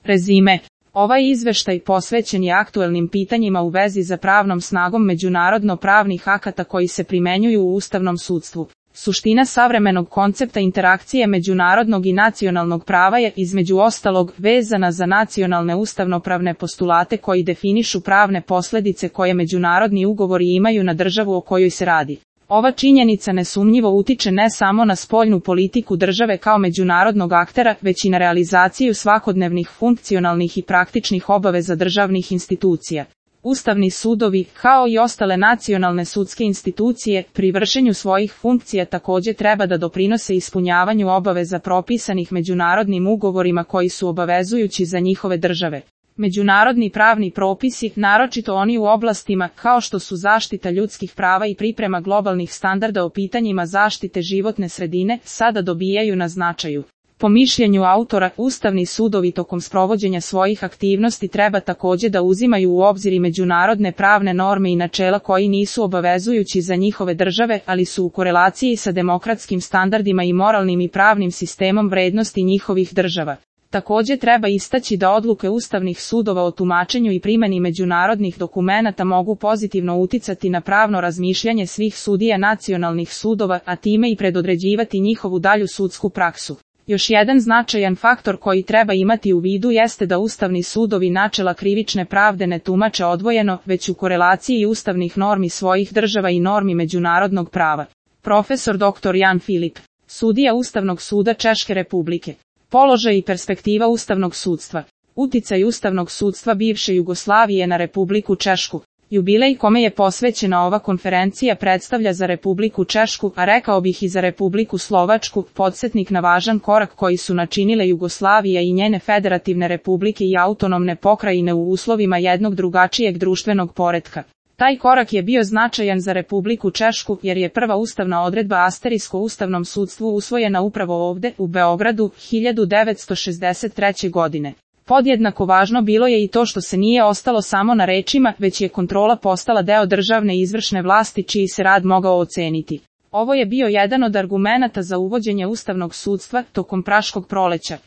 Rezime. Ovaj izveštaj posvećen je aktuelnim pitanjima u vezi sa pravnom snagom međunarodno-pravnih akata koji se primenjuju u ustavnom sudstvu. Suština savremenog koncepta interakcije međunarodnog i nacionalnog prava je, između ostalog, vezana za nacionalne ustavnopravne postulate koji definišu pravne posljedice koje međunarodni ugovori imaju na državu o kojoj se radi. Ova činjenica nesumnjivo utiče ne samo na spoljnu politiku države kao međunarodnog aktera, već i na realizaciju svakodnevnih funkcionalnih i praktičnih obaveza državnih institucija. Ustavni sudovi, kao i ostale nacionalne sudske institucije, pri vršenju svojih funkcija također treba da doprinose ispunjavanju obaveza propisanih međunarodnim ugovorima koji su obavezujući za njihove države. Međunarodni pravni propisi, naročito oni u oblastima kao što su zaštita ljudskih prava i priprema globalnih standarda o pitanjima zaštite životne sredine, sada dobijaju na značaju. Po mišljenju autora, ustavni sudovi tokom sprovođenja svojih aktivnosti treba također da uzimaju u obzir i međunarodne pravne norme i načela koji nisu obavezujući za njihove države, ali su u korelaciji sa demokratskim standardima i moralnim i pravnim sistemom vrednosti njihovih država. Također treba istaći da odluke ustavnih sudova o tumačenju i primjeni međunarodnih dokumenata mogu pozitivno uticati na pravno razmišljanje svih sudija nacionalnih sudova, a time i predodređivati njihovu dalju sudsku praksu. Još jedan značajan faktor koji treba imati u vidu jeste da ustavni sudovi načela krivične pravde ne tumače odvojeno, već u korelaciji ustavnih normi svojih država i normi međunarodnog prava. Profesor dr. Jan Filip, sudija Ustavnog suda Češke Republike. Položaj i perspektiva ustavnog sudstva. Uticaj ustavnog sudstva bivše Jugoslavije na Republiku Češku. Jubilej kome je posvećena ova konferencija predstavlja za Republiku Češku, a rekao bih i za Republiku Slovačku, podsjetnik na važan korak koji su načinile Jugoslavija i njene federativne republike i autonomne pokrajine u uslovima jednog drugačijeg društvenog poretka. Taj korak je bio značajan za Republiku Češku jer je prva ustavna odredba asterisku ustavnom sudstvu usvojena upravo ovde, u Beogradu, 1963. godine. Podjednako važno bilo je i to što se nije ostalo samo na rečima, već je kontrola postala deo državne izvršne vlasti čiji se rad mogao oceniti. Ovo je bio jedan od argumenata za uvođenje ustavnog sudstva tokom Praškog proleća.